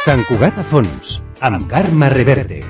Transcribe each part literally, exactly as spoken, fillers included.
Sant Cugat a fons, amb Carme Reverte.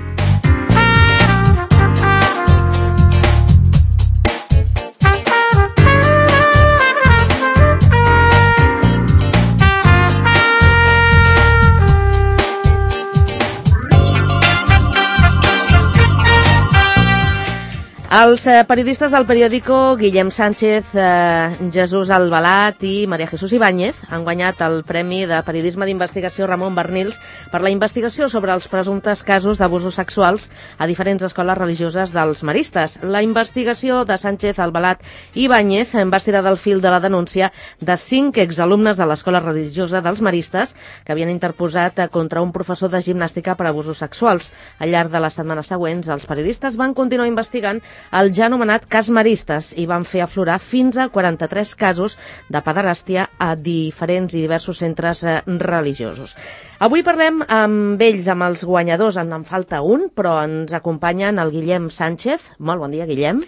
Els eh, periodistes del periòdico Guillem Sánchez, eh, Jesús Albalat i María Jesús Ibáñez han guanyat el Premi de Periodisme d'Investigació Ramon Barnils per la investigació sobre els presumptes casos d'abusos sexuals a diferents escoles religioses dels maristes. La investigació de Sánchez, Albalat i Ibáñez va estirar del fil de la denúncia de cinc exalumnes de l'escola religiosa dels maristes que havien interposat contra un professor de gimnàstica per abusos sexuals. Al llarg de les setmanes següents, els periodistes van continuar investigant el ja anomenat cas Maristes i van fer aflorar fins a quaranta-tres casos de pederàstia a diferents i diversos centres eh, religiosos. Avui parlem amb ells, amb els guanyadors. En en falta un, però ens acompanyen el Guillem Sánchez. Molt bon dia, Guillem.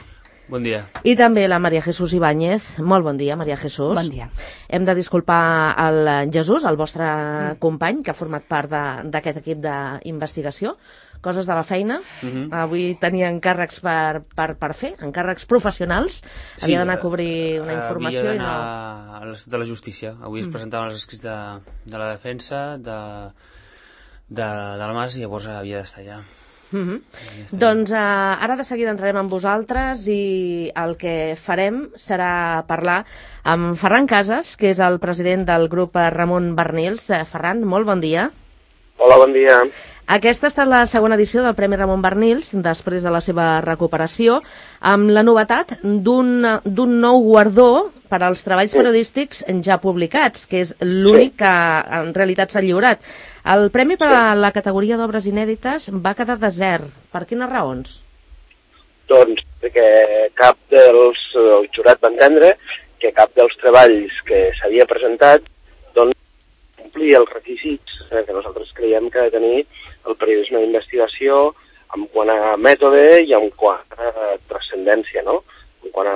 Bon dia. I també la María Jesús Ibáñez. Molt bon dia, María Jesús. Bon dia. Hem de disculpar el Jesús, el vostre mm. company, que ha format part d'aquest equip d'investigació. Coses de la feina. Uh-huh. Avui tenia encàrrecs per, per, per fer, encàrrecs professionals. Sí, havia d'anar a cobrir una informació havia i no... a de la justícia. Avui es Mm. presentaven els escrits de, de la defensa, de, de, del Mas, i llavors havia d'estar allà. Uh-huh. Doncs eh, ara de seguida entrarem amb vosaltres i el que farem serà parlar amb Ferran Casas, que és el president del grup Ramon Barnils. Eh, Ferran, molt bon dia. Hola, bon dia. Aquesta ha estat la segona edició del Premi Ramon Barnils, després de la seva recuperació, amb la novetat d'un d'un nou guardó per als treballs periodístics ja publicats, que és l'únic que en realitat s'ha lliurat. El premi per a la categoria d'obres inèdites va quedar desert. Per quines raons? Doncs perquè cap dels... el jurat va entendre que cap dels treballs que s'havia presentat doncs complia els requisits eh, que nosaltres creiem que ha de tenir el periodisme d'investigació en quant a mètode i en quant a transcendència, no? En quant a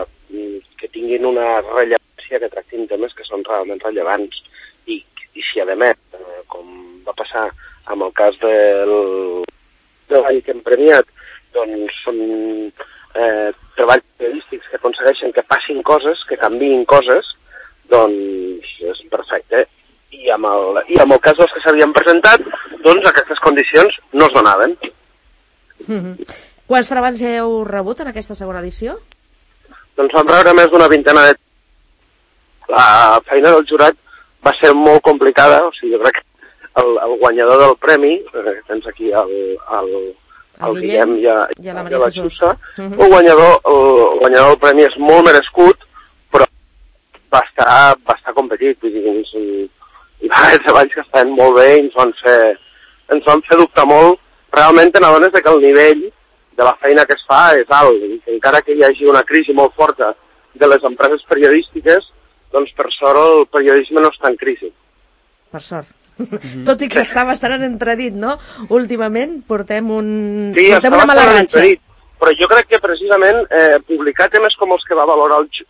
que tinguin una rellevància, que tractin temes que són realment rellevants. I, i si, a més, eh, com va passar amb el cas del treball que hem premiat, doncs són eh, treballs periodístics que aconsegueixen que passin coses, que canviïn coses, doncs és perfecte. I amb, el, I amb el cas dels que s'havien presentat, doncs aquestes condicions no es donaven. Mm-hmm. Quants treballs heu rebut en aquesta segona edició? Doncs vam rebre més d'una vintena de... La feina del jurat va ser molt complicada, o sigui, jo crec que el, el guanyador del premi, eh, tens aquí el, el, el, el Guillem i, a, i a la María Jesús, uh-huh. el, guanyador, el, el guanyador del premi és molt merescut, però va estar, va estar competit, vull dir, ens, hi va haver treballs que estaven molt bé i ens van fer, ens van fer dubtar molt. Realment t'adones que el nivell de la feina que es fa és alt, i que encara que hi hagi una crisi molt forta de les empreses periodístiques, doncs per sort el periodisme no està en crisi. Per sort. Mm-hmm. Tot i que està bastant en entredit, no? Últimament portem, un... sí, portem una mala ratxa. Entredit, però jo crec que precisament eh, publicar temes com els que va valorar el,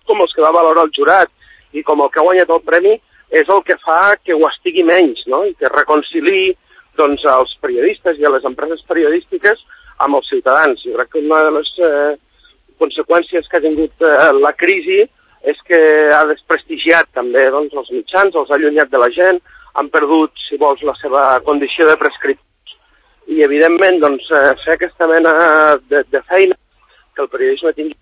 com els que va valorar el jurat i com el que ha guanyat el premi és el que fa que ho estigui menys, no? I que reconciliï doncs, als periodistes i a les empreses periodístiques amb els ciutadans. Jo crec que una de les eh, conseqüències que ha tingut eh, la crisi és que ha desprestigiat també doncs, els mitjans, els ha allunyat de la gent, han perdut, si vols, la seva condició de prescriptors. I, evidentment, doncs, eh, fer aquesta mena de, de feina que el periodisme tingui,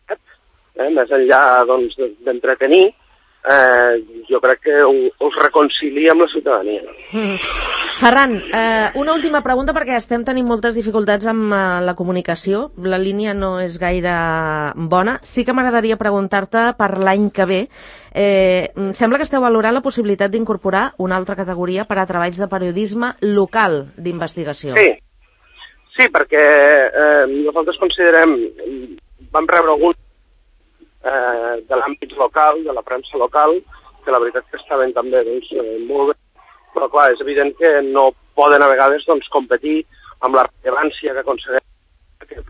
eh, més enllà doncs, d'entretenir, Eh, jo crec que us reconcilia amb la ciutadania. Mm. Ferran, eh, una última pregunta perquè estem tenint moltes dificultats amb eh, la comunicació, la línia no és gaire bona. Sí que m'agradaria preguntar-te per l'any que ve. Eh, sembla que esteu valorant la possibilitat d'incorporar una altra categoria per a treballs de periodisme local d'investigació. Sí, sí, perquè eh, nosaltres considerem, vam rebre algun Eh, de l'àmbit local, de la premsa local, que la veritat que estaven també doncs, eh, molt bé, però clar, és evident que no poden a vegades doncs, competir amb la rellevància que aconsegueix que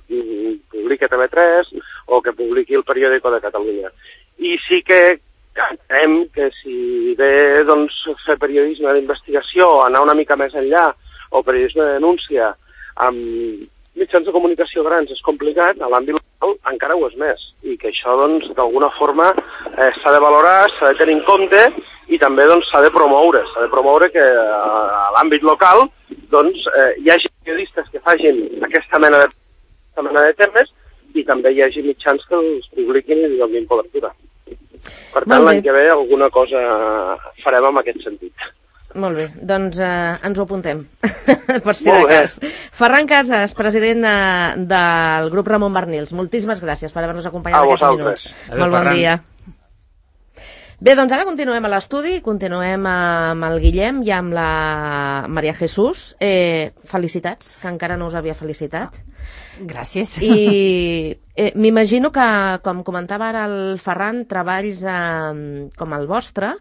publiqui T V tres o que publiqui el Periòdico de Catalunya. I sí que entenem que si ve doncs, fer periodisme d'investigació, anar una mica més enllà, o periodisme de denúncia, amb mitjans de comunicació grans és complicat, a l'àmbit local encara ho és més, i que això doncs d'alguna forma eh, s'ha de valorar, s'ha de tenir en compte i també doncs s'ha de promoure, s'ha de promoure que a l'àmbit local doncs eh, hi hagi periodistes que facin aquesta mena de, aquesta mena de temes i també hi hagi mitjans que els publiquin i donin cobertura. Per tant, l'any que ve alguna cosa farem en aquest sentit. Molt bé, doncs eh, ens ho apuntem, per si de cas. Ferran Casas, president de, del grup Ramon Barnils, moltíssimes gràcies per haver-nos acompanyat aquests minuts. Adéu, Molt bon Ferran. dia. Bé, doncs ara continuem a l'estudi, continuem amb el Guillem i amb la Maria Jesús. Eh, felicitats, que encara no us havia felicitat. Gràcies. I eh, m'imagino que, com comentava ara el Ferran, treballs eh, com el vostre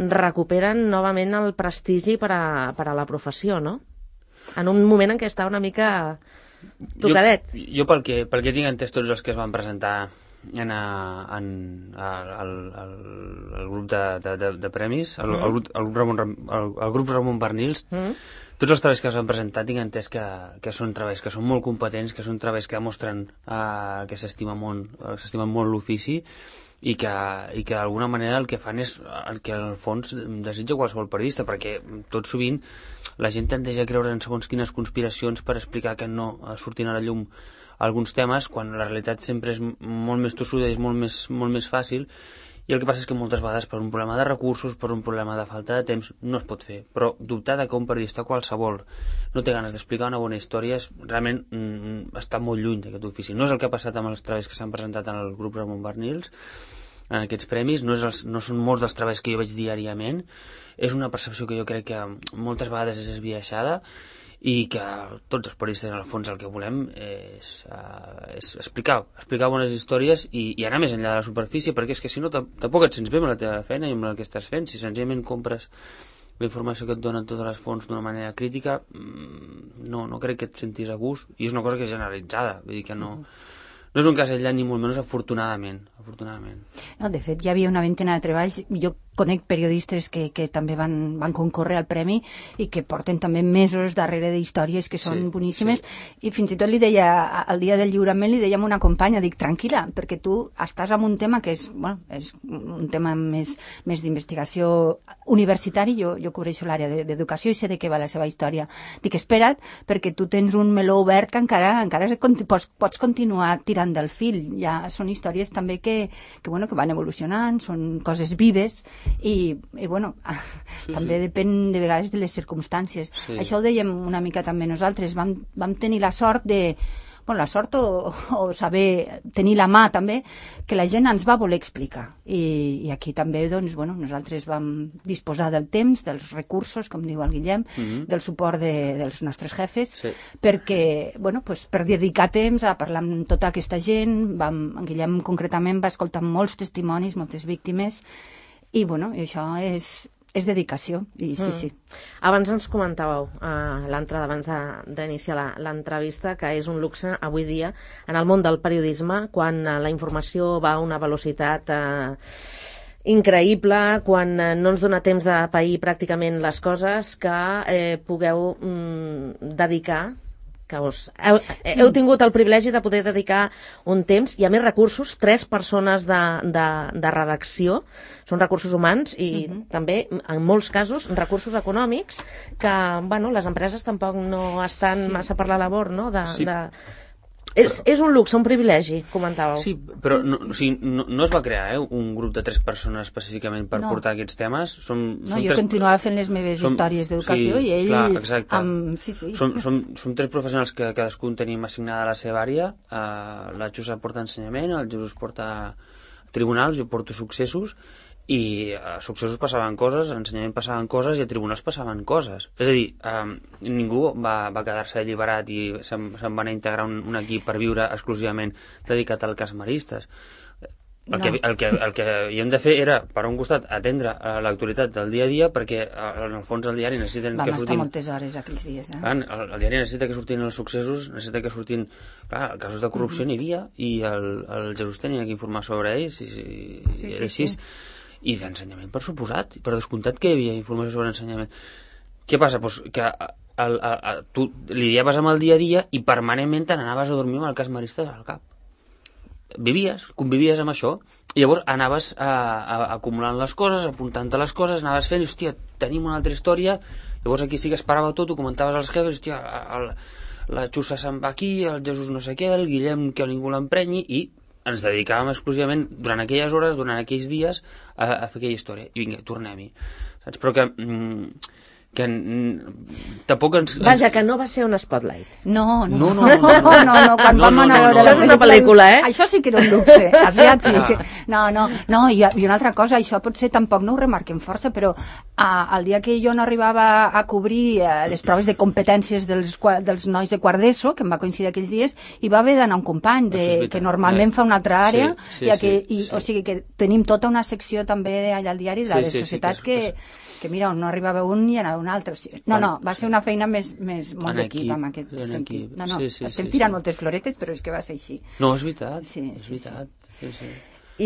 recuperen novament el prestigi per a, per a la professió, no? En un moment en què està una mica tocadet. Jo, jo pel, que, pel que tinc entès tots els que es van presentar en, a, en a, al, al, al grup de, de, de, de premis, el, mm. el, grup, el, grup Ramon, el, el grup Ramon Barnils, mm. tots els treballs que s'han presentat tinc entès que, que són treballs que són molt competents, que són treballs que demostren uh, que s'estima molt, s'estima molt l'ofici i que, i que d'alguna manera el que fan és el que al fons desitja qualsevol periodista, perquè tot sovint la gent tendeix a creure en segons quines conspiracions per explicar que no surtin a la llum alguns temes, quan la realitat sempre és molt més tossuda i és molt més, molt més fàcil. I el que passa és que moltes vegades per un problema de recursos, per un problema de falta de temps, no es pot fer. Però dubtar que un periodista qualsevol no té ganes d'explicar una bona història és realment mm, està molt lluny d'aquest ofici. No és el que ha passat amb els treballs que s'han presentat en el grup Ramon Barnils, en aquests premis, no, és els, no són molts dels treballs que jo veig diàriament, és una percepció que jo crec que moltes vegades és esbiaixada i que tots els periodistes en el fons el que volem és, uh, és explicar, explicar bones històries i, i anar més enllà de la superfície, perquè és que si no tampoc et sents bé amb la teva feina i amb el que estàs fent. Si senzillament compres la informació que et donen totes les fonts d'una manera crítica, no, no crec que et sentis a gust, i és una cosa que és generalitzada, vull dir que no, no és un cas aïllat ni molt menys, afortunadament, afortunadament. No, de fet, hi havia una vintena de treballs. Jo conec periodistes que, que també van, van concórrer al premi i que porten també mesos darrere d'històries que són sí, boníssimes, sí. I fins i tot li deia, al dia del lliurament li dèiem a una companya, dic, tranquil·la, perquè tu estàs en un tema que és, bueno, és un tema més, més d'investigació universitari, jo, jo cobreixo l'àrea d'educació i sé de què va la seva història. Dic, espera't, perquè tu tens un meló obert que encara, encara pots, pots continuar tirant del fil. Ja són històries també que, que, bueno, que van evolucionant, són coses vives, i, i bueno, sí, també sí. Depèn de vegades de les circumstàncies. Sí. Això ho dèiem una mica també nosaltres. Vam, vam tenir la sort de... Bueno, la sort o, o saber tenir la mà també, que la gent ens va voler explicar. I, i aquí també, doncs, bueno, nosaltres vam disposar del temps, dels recursos, com diu el Guillem, mm-hmm. del suport de, dels nostres jefes, sí. perquè, bueno, pues, per dedicar temps a parlar amb tota aquesta gent, vam, en Guillem concretament va escoltar molts testimonis, moltes víctimes, i, bueno, i això és... és dedicació, i sí, mm. sí. Abans ens comentàveu, uh, l'entrada, abans d'iniciar l'entrevista, que és un luxe avui dia en el món del periodisme, quan uh, la informació va a una velocitat uh, increïble, quan uh, no ens dona temps de pair pràcticament les coses, que eh, pugueu mm, dedicar que us, heu, sí. heu tingut el privilegi de poder dedicar un temps i a més recursos, tres persones de, de, de redacció, són recursos humans i uh-huh. també, en molts casos, recursos econòmics que, bueno, les empreses tampoc no estan sí. massa per la labor, no?, de... Sí. de És, és un luxe, un privilegi, comentàveu. Sí, però no, o sigui, no, no es va crear eh, un grup de tres persones específicament per no. portar aquests temes. Som, no, som jo tres... continuava fent les meves som... històries d'educació sí, i ell... Clar, exacte. Amb... Sí, sí. Som, som, som tres professionals que cadascun tenim assignada la seva àrea. Uh, la Josep porta ensenyament, el Jesús porta tribunals, jo porto successos, i a successos passaven coses, a ensenyament passaven coses i a tribunals passaven coses. És a dir, eh, ningú va, va quedar-se alliberat i se'n se va anar a integrar un, un equip per viure exclusivament dedicat al cas maristes. El, no. que, el, que, el que havíem de fer era, per un costat, atendre a l'actualitat del dia a dia, perquè en el fons el diari necessiten Vam que surtin... Vam estar moltes hores aquells dies, eh? Clar, el, el diari necessita que surtin els successos, necessita que surtin... Clar, casos de corrupció uh-huh. n'hi havia, i el, el Jesús tenia que informar sobre ells, i, i, sí, sí, i així... Sí. I d'ensenyament, per suposat. Per descomptat que hi havia informació sobre ensenyament. Què passa? Pues que el, el, el, tu lidiaves amb el dia a dia i permanentment te n'anaves a dormir amb el cas Maristes al cap. Vivies, convivies amb això, i llavors anaves a, a, acumulant les coses, apuntant-te les coses, anaves fent, i hòstia, tenim una altra història, llavors aquí sí que es parava tot, ho comentaves als jefes, hòstia, el, la Xussa se'n va aquí, el Jesús no sé què, el Guillem que ningú l'emprenyi, i ens dedicàvem exclusivament durant aquelles hores, durant aquells dies, a, a fer aquella història. I vinga, tornem-hi. Saps? Però que... Mm, que mm, tampoc ens, ens... Vaja, que no va ser un spotlight. No, no, no, no, no, no, no, no, no, quan no, vam no, anar no, a no. veure... Això és una pel·lícula, eh? Això sí que era un luxe, asiàtic. Ah. No, no, no, i, i una altra cosa, això potser tampoc no ho remarquem força, però a, el dia que jo no arribava a cobrir eh, les proves de competències dels, dels nois de quart d'ESO, que em va coincidir aquells dies, hi va haver d'anar un company de, que normalment eh. fa una altra àrea, sí, sí, i, que, sí, i sí. O sigui que tenim tota una secció també allà al diari de Sí, les sí, sí, societats que que... és- que mira, on no arribava un i anava un altre. No, no, va ser una feina més, més molt En d'equip equip, en aquest en sentit. equip. No, no, Sí, sí, estem sí, tirant sí. moltes floretes, però és que va ser així. No, és veritat, Sí, és sí, veritat. Sí, sí.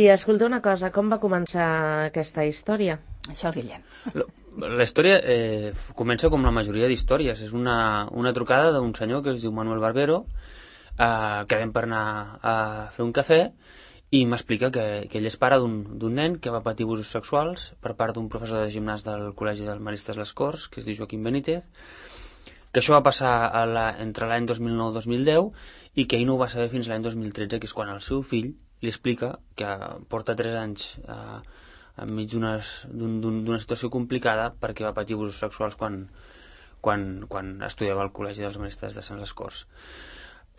I escolta una cosa, com va començar aquesta història? Això el Guillem. La, la història eh, comença com la majoria d'històries. És una, una trucada d'un senyor que es diu Manuel Barbero, eh, quedem per anar a fer un cafè, i m'explica que, que ell és pare d'un nen que va patir abusos sexuals per part d'un professor de gimnàs del Col·legi dels Maristes Les Corts, que es diu Joaquim Benítez, que això va passar a la, entre l'any dos mil nou i dos mil deu i que ell no ho va saber fins l'any dos mil tretze, que és quan el seu fill li explica que porta tres anys eh, enmig d'una un, situació complicada perquè va patir abusos sexuals quan, quan, quan estudiava al Col·legi dels Maristes de Sant Les Corts.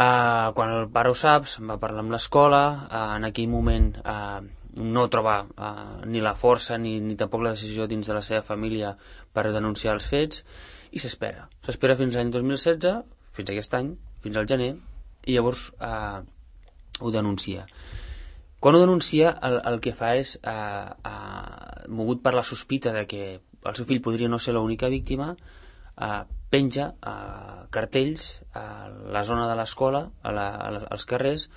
Uh, quan el pare ho sap, se'n va parlar amb l'escola, uh, en aquell moment uh, no troba uh, ni la força ni, ni tampoc la decisió dins de la seva família per denunciar els fets, i s'espera. S'espera fins l'any dos mil setze, fins aquest any, fins al gener, i llavors uh, ho denuncia. Quan ho denuncia, el, el que fa és, uh, uh, mogut per la sospita de que el seu fill podria no ser l'única víctima, uh, penja uh, cartells a la zona de l'escola, a la, a la, als carrers,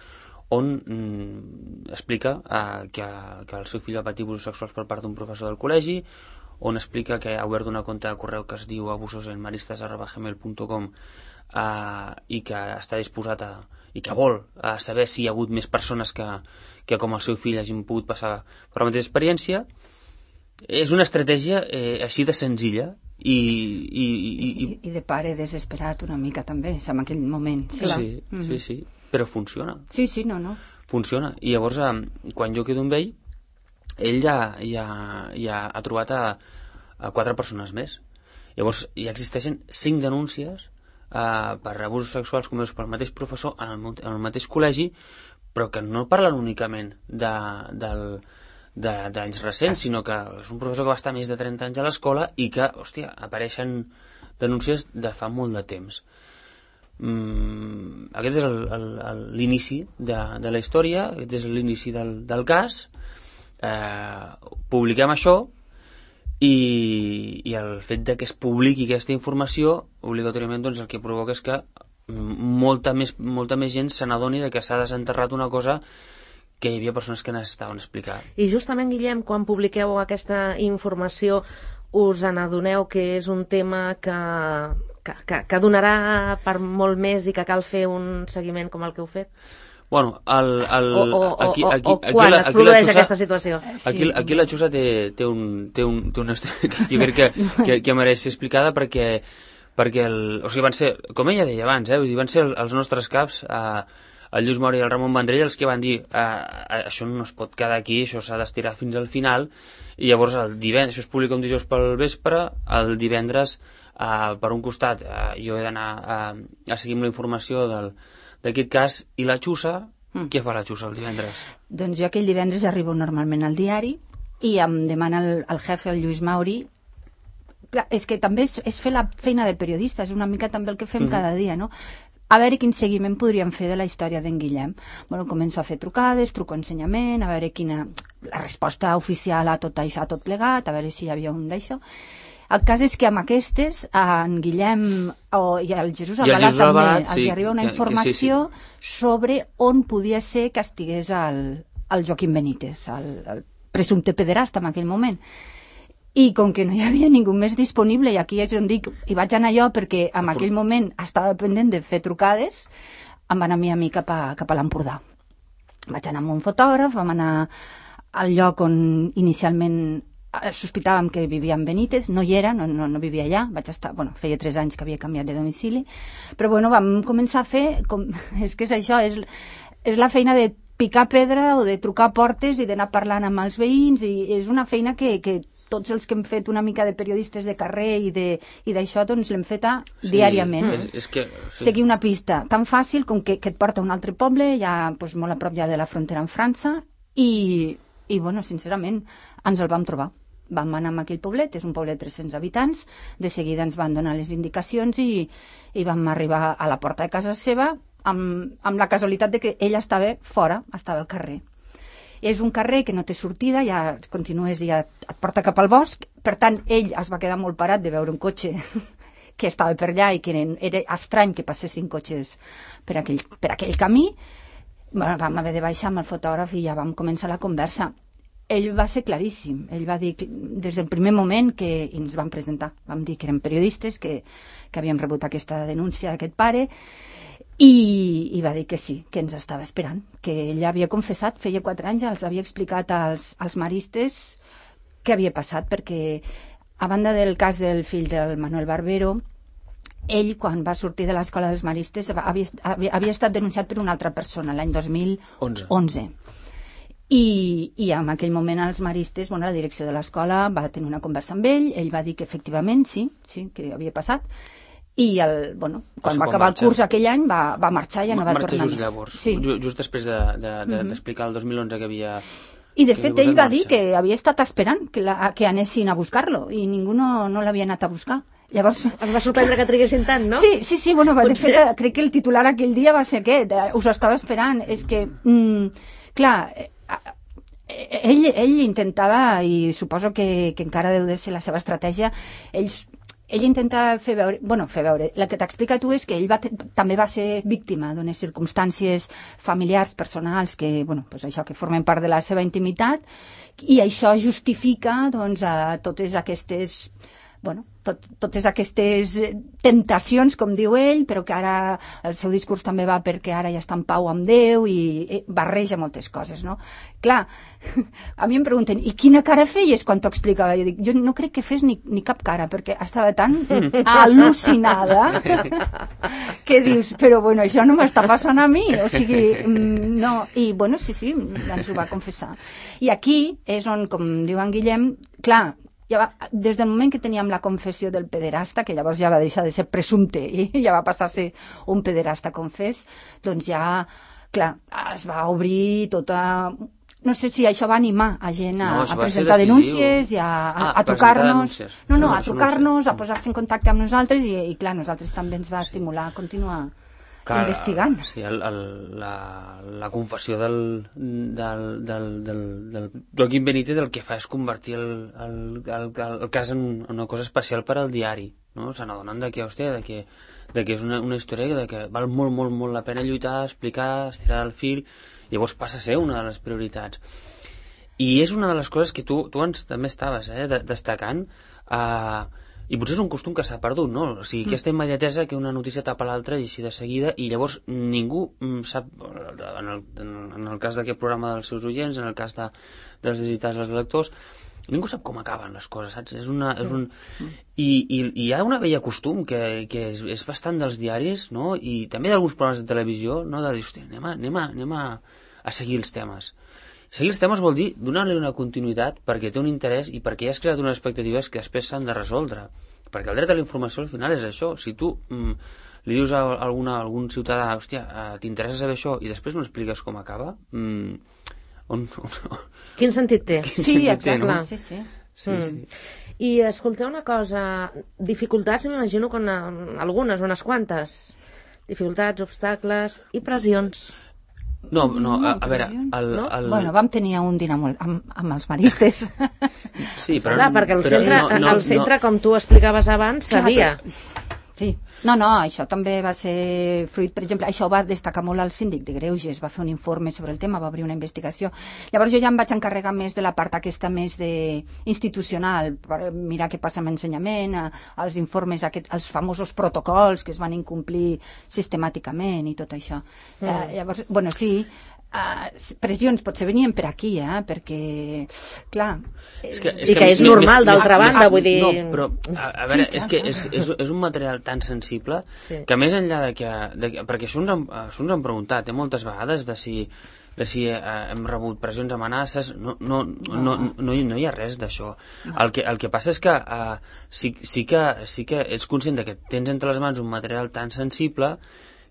on mm, explica uh, que, que el seu fill va patir abusos sexuals per part d'un professor del col·legi, on explica que ha obert una compte de correu que es diu abusosenmaristes arroba gmail punt com uh, i que està disposat a i que vol uh, saber si hi ha hagut més persones que, que com el seu fill hagin pogut passar per la mateixa experiència. És una estratègia eh, així de senzilla i, i, i, I, I de pare desesperat una mica també, en aquell moment. Sí, sí, mm-hmm. sí, sí, però funciona. Sí, sí, no, no. Funciona. I llavors, eh, quan jo quedo amb ell, ell ja, ja, ja ha trobat a, a quatre persones més. Llavors, ja existeixen cinc denúncies eh, per abusos sexuals comesos pel mateix professor en el, en el mateix col·legi, però que no parlen únicament de, del d'anys recents, sinó que és un professor que va estar més de trenta anys a l'escola i que, hòstia, apareixen denúncies de fa molt de temps. Mm, aquest és l'inici de, de la història, aquest és l'inici del, del cas. Eh, publiquem això i, i el fet de que es publiqui aquesta informació obligatòriament, doncs, el que provoca és que molta més, molta més gent se n'adoni de que s'ha desenterrat una cosa que hi havia persones que necessitaven explicar. I justament, Guillem, quan publiqueu aquesta informació, us n'adoneu que és un tema que, que, que, que donarà per molt més i que cal fer un seguiment com el que heu fet? Bueno, el, el, o, o, aquí, o, aquí, o aquí, quan la, es aquí produeix Xussa, aquesta situació? Aquí, aquí la Xussa té, té, un, té, un, té una història que jo crec que, que, que mereix ser explicada perquè, perquè el, o sigui, van ser, com ella deia abans, eh, van ser els nostres caps, eh, el Lluís Mora i el Ramon Vendrell, els que van dir eh, això no es pot quedar aquí, això s'ha d'estirar fins al final, i llavors el divendres, això es publica un dijous pel vespre, el divendres eh, per un costat eh, jo he d'anar a, a seguir amb la informació d'aquest cas, i la Xussa, mm. què fa la Xussa el divendres? Doncs jo aquell divendres arribo normalment al diari i em demana el, el jefe, el Lluís Mauri. Clar, és que també és, és fer la feina de periodista, és una mica també el que fem mm-hmm. cada dia, no? A veure quin seguiment podríem fer de la història d'en Guillem. Bueno, començo a fer trucades, truco ensenyament, a veure quina la resposta oficial a tot això, a tot plegat, a veure si hi havia un d'això. El cas és que amb aquestes, en Guillem o, i el Jesús Albalat també, Albalat, els sí, arriba una que, informació que sí, sí. sobre on podia ser que estigués el, el Joaquim Benítez, el, el presumpte pederasta en aquell moment. I com que no hi havia ningú més disponible, i aquí és on dic, hi vaig anar jo perquè en aquell moment estava pendent de fer trucades, em van anar a mi cap a, cap a l'Empordà. Vaig anar amb un fotògraf, vam anar al lloc on inicialment sospitàvem que vivia en Benítez, no hi era, no, no, no vivia allà, vaig estar, bueno, feia tres anys que havia canviat de domicili, però bueno, vam començar a fer, com, és que és això, és, és la feina de picar pedra o de trucar portes i d'anar parlant amb els veïns, i és una feina que, que tots els que hem fet una mica de periodistes de carrer i d'això, doncs l'hem feta sí, diàriament. És, és que, sí. Seguir una pista tan fàcil com que, que et porta a un altre poble, ja doncs, molt a prop ja de la frontera amb França, i, i bueno, sincerament, ens el vam trobar. Vam anar a aquell poblet, és un poblet de tres-cents habitants, de seguida ens van donar les indicacions i, i vam arribar a la porta de casa seva amb, amb la casualitat de que ella estava fora, estava al carrer. És un carrer que no té sortida, ja continues i ja et porta cap al bosc, per tant, ell es va quedar molt parat de veure un cotxe que estava per allà i que era estrany que passessin cotxes per aquell, per aquell camí. Bueno, vam haver de baixar amb el fotògraf i ja vam començar la conversa. Ell va ser claríssim, ell va dir que, des del primer moment que i ens vam presentar, vam dir que érem periodistes, que, que havíem rebut aquesta denúncia d'aquest pare, I, i va dir que sí, que ens estava esperant, que ella havia confessat, feia quatre anys, els havia explicat als, als maristes què havia passat, perquè a banda del cas del fill del Manuel Barbero, ell, quan va sortir de l'escola dels maristes, havia, havia, havia estat denunciat per una altra persona, l'any dos mil onze. I, i en aquell moment els maristes, bueno, la direcció de l'escola va tenir una conversa amb ell, ell va dir que efectivament sí, sí, que havia passat, i el, bueno, quan va acabar el curs aquell any va, va marxar i ja no va tornar. Marxa just llavors, sí. just després d'explicar de, de, de, mm-hmm. el dos mil onze que havia... I de fet ell va dir que havia estat esperant que, la, que anessin a buscar-lo i ningú no, no l'havia anat a buscar. Llavors... Es va sorprendre que triguessin tant, no? Sí, sí, sí, bueno, de fet, crec que el titular aquell dia va ser aquest, us estava esperant. És que, mm, clar, ell, ell intentava, i suposo que, que encara deu de ser la seva estratègia, ells... Ell intenta fer veure, bueno, fer veure, el que t'explica tu és que ell va també va ser víctima d'unes circumstàncies familiars, personals, que, bueno, pues això, que formen part de la seva intimitat, i això justifica, doncs, a totes aquestes, bueno, tot, totes aquestes temptacions, com diu ell, però que ara el seu discurs també va perquè ara ja està en pau amb Déu i barreja moltes coses, no? Clar, a mi em pregunten, i quina cara feies quan t'ho explicava? Jo dic, jo no crec que fes ni, ni cap cara, perquè estava tan al·lucinada que dius, però bueno, això no m'està passant a mi, o sigui, no, i bueno, sí, sí, ens ho va confessar. I aquí és on, com diu en Guillem, clar, ja va, des del moment que teníem la confessió del pederasta, que llavors ja va deixar de ser presumpte i ja va passar a ser un pederasta confés, doncs ja, clar, es va obrir tota... No sé si això va animar a gent a, no, a presentar denúncies i a, a, ah, a trucar-nos... No, no, a trucar-nos, a posar-se en contacte amb nosaltres i, i clar, nosaltres també ens va sí. estimular a continuar clar, investigant. Sí, el, el, la, la confessió del, del, del, del, del Joaquim Benítez el que fa és convertir el, el, el, el cas en una cosa especial per al diari, no? Se n'adonen de que, hòstia, de que, de que és una, una història de que val molt, molt, molt la pena lluitar, explicar, estirar el fil, i llavors passa a ser una de les prioritats. I és una de les coses que tu, tu ens també estaves eh, de, destacant, eh, i potser és un costum que s'ha perdut, no? O sigui, aquesta immediatesa que una notícia tapa l'altra i així de seguida, i llavors ningú sap, en el, en el cas d'aquest programa dels seus oients, en el cas de, dels visitats dels lectors, ningú sap com acaben les coses, saps? És una, és un... I, i, i hi ha una vella costum que, que és, és bastant dels diaris, no? I també d'alguns programes de televisió, no? De dir, hòstia, anem, a, anem, a, anem a, a seguir els temes. Seguir els temes vol dir donar-li una continuïtat perquè té un interès i perquè ja has creat unes expectatives que després s'han de resoldre. Perquè el dret a la informació al final és això. Si tu mm, li dius a, alguna, a algun ciutadà, hòstia, eh, t'interessa saber això i després no expliques com acaba, mm, on, on, quin sentit té? Quin sí, sentit exacte, té, no? sí, sí. sí, mm. sí. I escolteu una cosa, dificultats m'imagino que una, algunes, unes quantes. Dificultats, obstacles i pressions. No, no, a, a veure... El, no? el... Bueno, vam tenir un dinar molt, amb, amb els maristes. Sí, però... Clar, perquè el però centre, no, no, el centre no. com tu explicaves abans, sabia. Clar, Sí, no, no, això també va ser fruit, per exemple, això va destacar molt el síndic de Greuges, va fer un informe sobre el tema, va obrir una investigació. Llavors jo ja em vaig encarregar més de la part aquesta més de institucional, per mirar què passa amb ensenyament, els informes, aquest, els famosos protocols que es van incomplir sistemàticament i tot això. Mm. Eh, llavors, bueno, sí, Uh, pressions potser venien per aquí, eh? Perquè, clar... És que, és I que, que és més, normal, d'altra banda, vull dir... No, però, a, a veure, sí, és que és, és, és un material tan sensible sí. que més enllà de que... De, perquè això ens, han, això ens han preguntat eh, moltes vegades de si, de si eh, hem rebut pressions, amenaces... No, no, no, no, no, no hi ha res d'això. No. El, que, el que passa és que, eh, sí, sí que sí que ets conscient de que tens entre les mans un material tan sensible,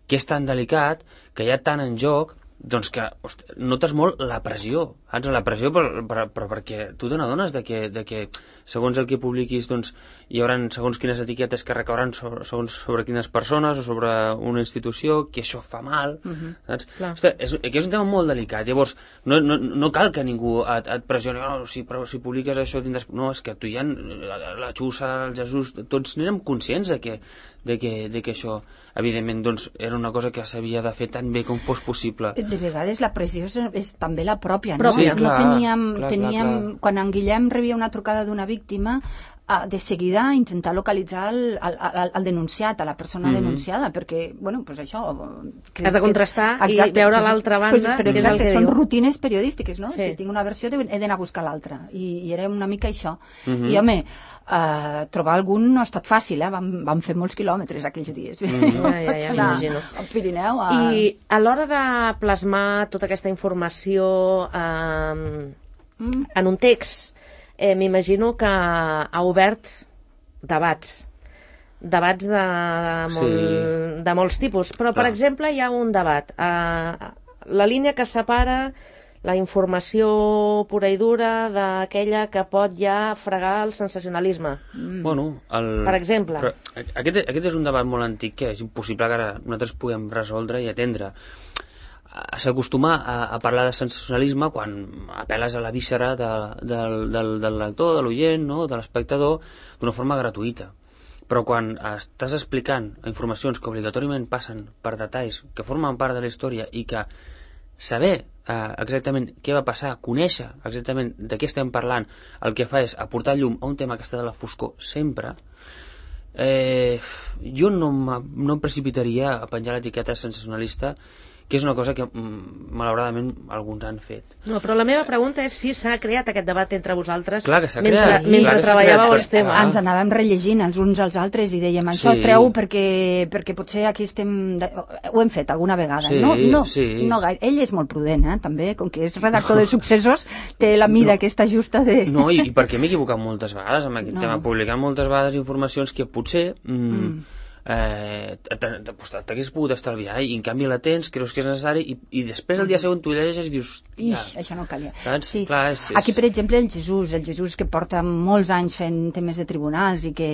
que és tan delicat, que hi ha tant en joc, doncs que hosti, notes molt la pressió, saps? La pressió però, però, però perquè tu te n'adones de que, de que segons el que publiquis doncs, hi haurà segons quines etiquetes que recauran sobre, segons sobre quines persones o sobre una institució, que això fa mal, uh-huh. saps? Hosti, és, que és un tema molt delicat, llavors no, no, no cal que ningú et, et pressioni, no, si, però, si publiques això tindràs... No, és que tu ja, la Xusa, el Jesús, tots n'érem conscients de que, de que, de que això, evidentment, doncs, era una cosa que s'havia de fer tan bé com fos possible. De vegades la pressió és, és també la pròpia, no? Sí, no clar, teníem, clar, teníem clar, clar. Quan en Guillem rebia una trucada d'una víctima, uh, de seguida intentar localitzar el, el, el, el denunciat, a la persona mm-hmm. denunciada, perquè, bueno, pues això... Que, Has de contrastar que, exacte, i veure pues, l'altra banda, pues, però, que és el que són diu. Rutines periodístiques, no? Sí. Si tinc una versió he d'anar a buscar l'altra, i, i era una mica això. Mm-hmm. I, home, Uh, trobar algun no ha estat fàcil, eh? vam, vam fer molts quilòmetres aquells dies. Mm. Ja, ja, ja, m'imagino. Al Pirineu. A... I a l'hora de plasmar tota aquesta informació eh, mm. en un text, eh, m'imagino que ha obert debats. Debats de, de, molt, sí. de molts tipus. Però, per Clar. exemple, hi ha un debat. Eh, la línia que separa la informació pura i dura d'aquella que pot ja fregar el sensacionalisme. Mm. Bueno, el... Per exemple. Però aquest, aquest és un debat molt antic que és impossible que ara nosaltres puguem resoldre i atendre. S'acostuma a, a parlar de sensacionalisme quan apel·les a la víscera de, del, del, del lector, de l'oient, no? de l'espectador, d'una forma gratuïta. Però quan estàs explicant informacions que obligatòriament passen per detalls que formen part de la història i que saber Uh, exactament què va passar, conèixer exactament de què estem parlant, el que fa és aportar llum a un tema que està de la foscor sempre, eh, jo no, no em precipitaria a penjar l'etiqueta sensacionalista, que és una cosa que malauradament alguns han fet. No, però la meva pregunta és si s'ha creat aquest debat entre vosaltres clar que s'ha mentre, creat, mentre clar treballàveu creat, els temes. Ah. Ens anàvem rellegint els uns als altres i dèiem això sí. treu perquè, perquè potser aquí estem... De... Ho hem fet alguna vegada. Sí, no, no, sí. no gaire. Ell és molt prudent, eh, també, com que és redactor de successos, té la mida no. aquesta justa de... No, i, i perquè m'he equivocat moltes vegades amb aquest no. tema, publicant moltes vegades informacions que potser... Mm, mm. Eh, t'hagués pogut estalviar i en canvi la tens, creus que és necessari i, i després el dia següent tu llegeixes i dius Ix, això no calia. Sí. Clar, és, és... Aquí per exemple el Jesús el Jesús que porta molts anys fent temes de tribunals i que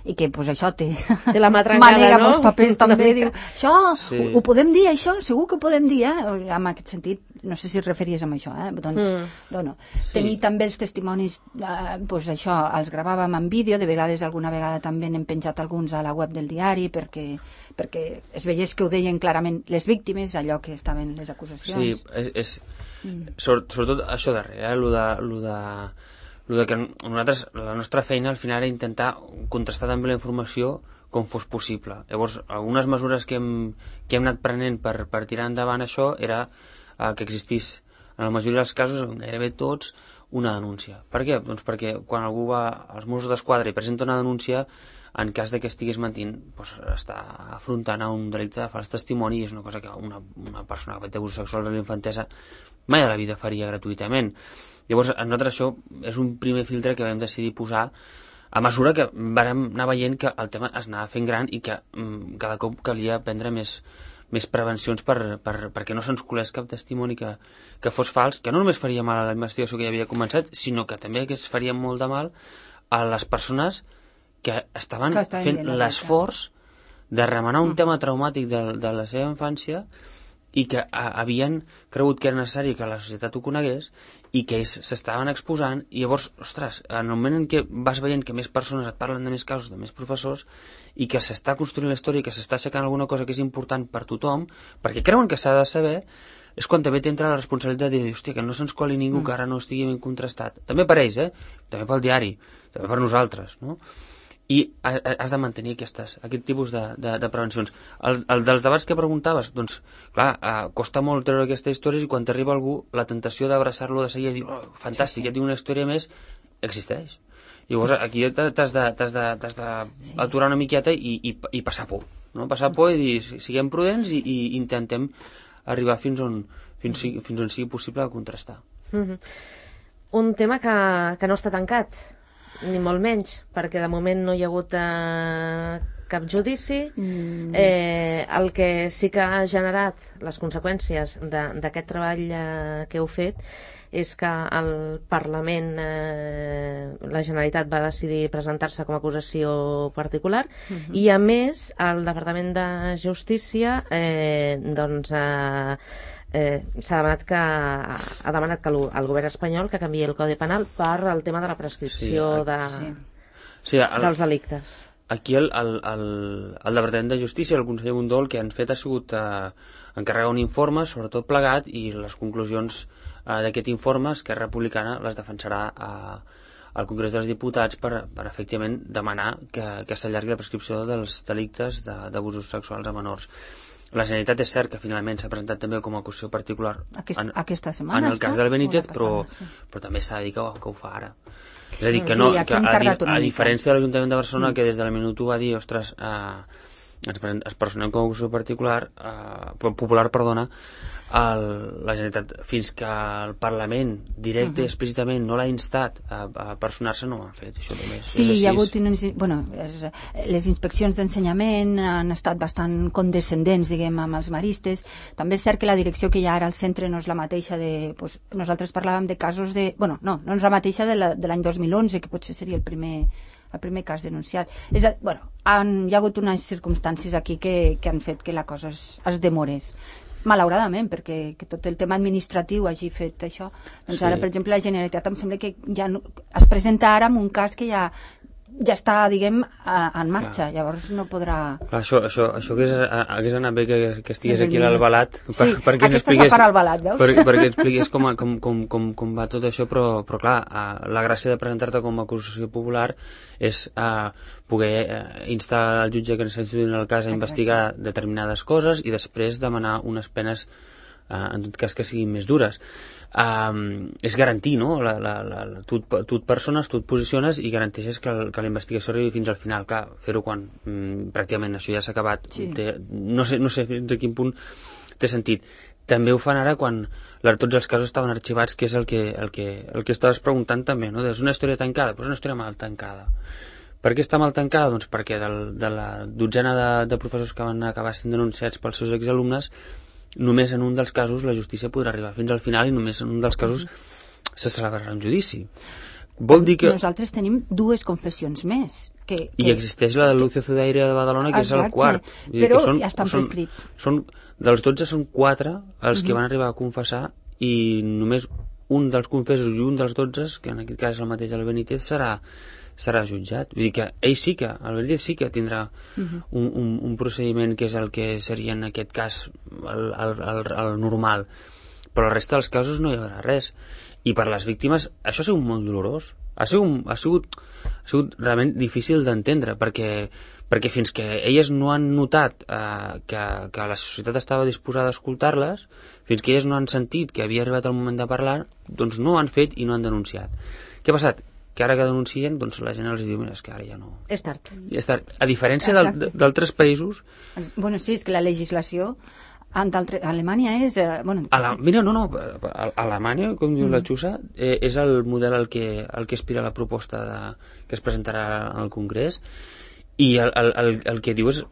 i que pues, això té, té la mà trencada, manega no? molts papers també, diu, això, sí. ho, ho podem dir això, segur que ho podem dir, eh? En aquest sentit, no sé si es referís a això, eh? Doncs, mm. no. Sí. Tenir també els testimonis, eh, pues això, els gravàvem en vídeo, de vegades alguna vegada també n'hem penjat alguns a la web del diari perquè, perquè es veiés que ho deien clarament les víctimes, allò que estaven les acusacions. Sí, és, és mm. sobretot això darrere, eh? Lo de... Lo de... el que nosaltres, la nostra feina al final era intentar contrastar també la informació com fos possible. Llavors, algunes mesures que hem, que hem anat prenent per, per tirar endavant això era eh, que existís, en la majoria dels casos, en gairebé tots, una denúncia. Per què? Doncs perquè quan algú va als Mossos d'Esquadra i presenta una denúncia, en cas de que estigués mentint, doncs està afrontant a un delicte de fals testimoni i és una cosa que una, una persona que ha fet abusos sexuals a la infantesa mai de la vida faria gratuïtament. Llavors, a nosaltres això és un primer filtre que vam decidir posar a mesura que vam anar veient que el tema es anava fent gran i que mm, cada cop calia prendre més, més prevencions per, per, perquè no se'ns colés cap testimoni que, que fos fals, que no només faria mal a la investigació que ja havia començat, sinó que també que es faria molt de mal a les persones que estaven que fent l'esforç de remenar un mm. tema traumàtic de, de la seva infància i que havien cregut que era necessari que la societat ho conegués i que ells s'estaven exposant, i llavors, ostres, en el moment en què vas veient que més persones et parlen de més casos, de més professors, i que s'està construint la història i que s'està aixecant alguna cosa que és important per tothom, perquè creuen que s'ha de saber, és quan també t'entra la responsabilitat de dir, hòstia, que no se'ns coli ningú que ara no estigui ben contrastat. També per ells, eh? També pel diari, també per nosaltres, no? I has de mantenir aquestes, aquest tipus de, de, de prevencions. El, el dels debats que preguntaves, doncs, clar, eh, costa molt treure aquestes històries i quan t'arriba algú, la tentació d'abraçar-lo de seguida i dir, oh, fantàstic, sí, sí. Ja tinc una història més, existeix. Llavors aquí t'has d'aturar una miqueta i, i, i passar por, no? Passar por i dir, siguem prudents i, i intentem arribar fins on, fins, fins on sigui possible contrastar. Mm-hmm. Un tema que, que no està tancat, ni molt menys, perquè de moment no hi ha hagut eh, cap judici. Mm. Eh, el que sí que ha generat les conseqüències d'aquest treball eh, que heu fet és que el Parlament, eh, la Generalitat va decidir presentar-se com a acusació particular, uh-huh. i a més el Departament de Justícia eh, doncs eh, Eh, s'ha demanat que ha demanat que el, el govern espanyol que canviï el Codi Penal per el tema de la prescripció sí, de, sí. Sí, el, dels delictes. Aquí el, el, el, el Departament de Justícia, el conseller Mundó, el que han fet ha sigut eh, encarregar un informe, sobretot plegat, i les conclusions eh, d'aquest informe Esquerra Republicana les defensarà eh, al Congrés dels Diputats per, per efectivament demanar que, que s'allargui la prescripció dels delictes d'abusos sexuals a menors. La Generalitat és cert que finalment s'ha presentat també com a acusació particular Aquest, en, aquesta setmana, en el cas del Benítez, però, sí. però també s'ha de dir que, que ho fa ara. És a dir, que, no, sí, que a, a, a diferència de l'Ajuntament de Barcelona, mm. que des de la minut u va dir, ostres, eh, ens, ens personem com a acusació particular, eh, popular, perdona, el, la Generalitat, fins que el Parlament directe i uh -huh. explícitament no l'ha instat a, a personar-se, no ho han fet. Això només sí, hi ha hagut unes, bueno, les, les inspeccions d'ensenyament han estat bastant condescendents, diguem, amb els maristes. També és cert que la direcció que hi ha ara al centre no és la mateixa de... Pues, nosaltres parlàvem de casos de... Bueno, no, no és la mateixa de l'any dos mil onze, que potser seria el primer el primer cas denunciat. És a, bueno, han, hi ha hagut unes circumstàncies aquí que, que han fet que la cosa es, es demorés. Malauradament, perquè que tot el tema administratiu hagi fet això. Doncs sí. Ara, per exemple, la Generalitat em sembla que ja no, es presenta ara en un cas que ja ja està, diguem, a, en marxa. Clar. Llavors no podrà... Clar, això, això, això hagués, hagués anat bé que, que estigués aquí a l'Albalat. Sí, per, perquè aquesta és la part Albalat, veus? Per, perquè expliqués com, com, com, com, com va tot això, però, però clar, la gràcia de presentar-te com a acusació popular és uh, poder uh, instar al jutge que s'estudi en el cas a Exacte. investigar determinades coses i després demanar unes penes uh, en tot cas que siguin més dures. Um, és garantir, no? La, la, la, tu, tu et persones, tu et posiciones i garanteixes que, el, que la investigació arribi fins al final. Clar, fer-ho quan mm, pràcticament això ja s'ha acabat, sí. té, no, sé, no sé fins a quin punt té sentit. També ho fan ara quan la, tots els casos estaven arxivats, que és el que, el que, el que estaves preguntant també, no? És una història tancada, però és una història mal tancada. Per què està mal tancada? Doncs perquè del, de la dotzena de, de professors que van acabar sent denunciats pels seus exalumnes, només en un dels casos la justícia podrà arribar fins al final i només en un dels casos se celebrarà un judici. Vol dir que... Nosaltres tenim dues confessions més. Que, que... I existeix la de Lucio Zudaire de Badalona, que Exacte. és el quart. Però són, ja estan són, prescrits. Són, dels dotze són quatre els uh-huh. que van arribar a confessar i només un dels confessos i un dels dotze, que en aquest cas és el mateix del Benítez, serà serà jutjat. Vull dir que ell sí que, el Benítez sí que tindrà uh-huh. un, un, un procediment que és el que seria en aquest cas el, el, el, el normal, però la resta dels casos no hi haurà res. I per les víctimes això ha sigut molt dolorós, ha sigut, ha sigut, ha sigut realment difícil d'entendre, perquè, perquè fins que elles no han notat eh, que, que la societat estava disposada a escoltar-les, fins que elles no han sentit que havia arribat el moment de parlar, doncs no ho han fet i no han denunciat. Què ha passat? Que ara que denuncien, doncs la gent els diu, mira, és que ara ja no... És tard. Ja és tard. A diferència d'altres països... Bueno, sí, és que la legislació a Alemanya és... Eh, bueno... A la, mira, no, no, a, a Alemanya, com diu mm. la Xusa, eh, és el model al que, al que aspira la proposta de, que es presentarà al Congrés, i el, el, el, el que diu és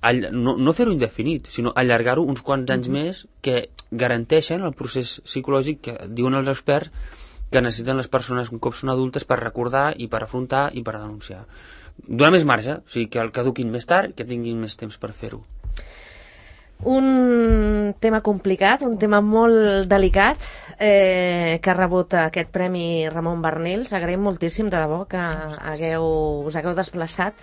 all, no, no fer-ho indefinit, sinó allargar-ho uns quants anys mm-hmm. més, que garanteixen el procés psicològic que diuen els experts que necessiten les persones un cop són adultes per recordar i per afrontar i per denunciar. Donar més marge, o sigui, que el caduquin més tard, que tinguin més temps per fer-ho. Un tema complicat, un tema molt delicat, eh, que ha rebut aquest Premi Ramon Barnils. Agraïm moltíssim, de debò, que hagueu, us hagueu desplaçat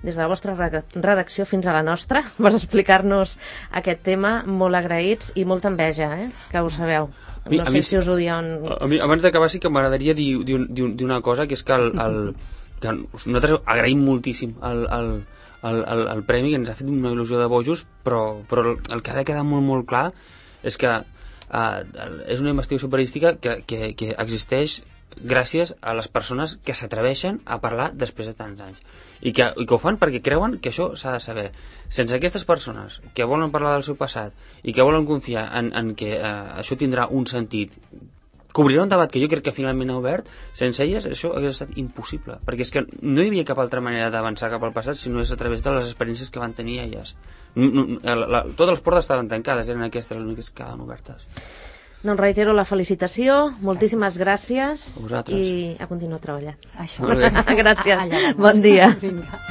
des de la vostra redacció fins a la nostra per explicar-nos aquest tema. Molt agraïts i molta enveja, eh, que ho sabeu. Mi, no sé mi, si us ho diuen... A mi, abans d'acabar, sí que m'agradaria dir, dir, dir, dir una cosa, que és que, el, el, que nosaltres agraïm moltíssim el, el, el, el, el premi, que ens ha fet una il·lusió de bojos, però, però el que ha de quedar molt, molt clar és que uh, és una investigació periodística que, que, que existeix gràcies a les persones que s'atreveixen a parlar després de tants anys i que, i que ho fan perquè creuen que això s'ha de saber. Sense aquestes persones que volen parlar del seu passat i que volen confiar en, en que uh, això tindrà un sentit, que obrirà un debat que jo crec que finalment ha obert, sense elles això hauria estat impossible, perquè és que no hi havia cap altra manera d'avançar cap al passat si no és a través de les experiències que van tenir elles. No, no, la, la, totes les portes estaven tancades, eren aquestes les úniques que quedaven obertes. Doncs reitero la felicitació, moltíssimes gràcies, gràcies. I a continuar treballant. Això. Gràcies, bon dia. Vinga.